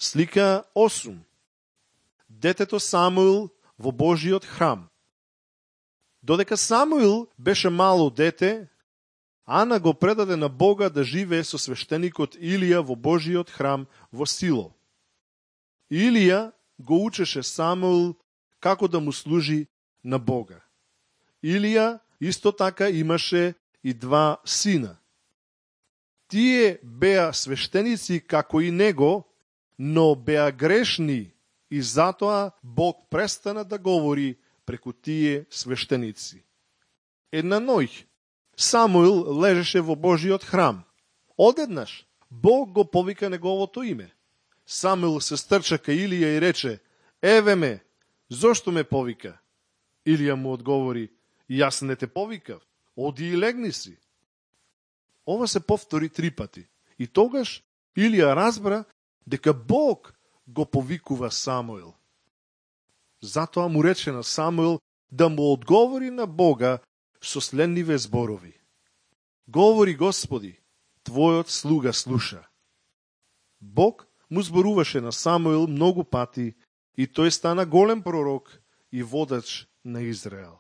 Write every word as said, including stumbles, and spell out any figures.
Слика осум. Детето Самуил во Божиот храм. Додека Самуил беше мало дете, Ана го предаде на Бога да живее со свештеникот Илија во Божиот храм во Сило. Илија го учеше Самуил како да му служи на Бога. Илија исто така имаше и два сина. Тие беа свештеници како и него, но беа грешни и затоа Бог престана да говори преку тие свештеници. Една ноќ Самуил лежеше во Божиот храм. Одеднаш Бог го повика неговото име. Самуил се стрча кај Илија и рече: "Еве ме, зошто ме повика?" Илија му одговори: "Јас не те повикав, оди и легни си." Ова се повтори три пати. И тогаш Илија разбра дека Бог го повикува Самуил. Затоа му рече на Самуил да му одговори на Бога со следниве зборови: "Говори, Господи, твојот слуга слуша." Бог му зборуваше на Самуил многу пати и тој стана голем пророк и водач на Израел.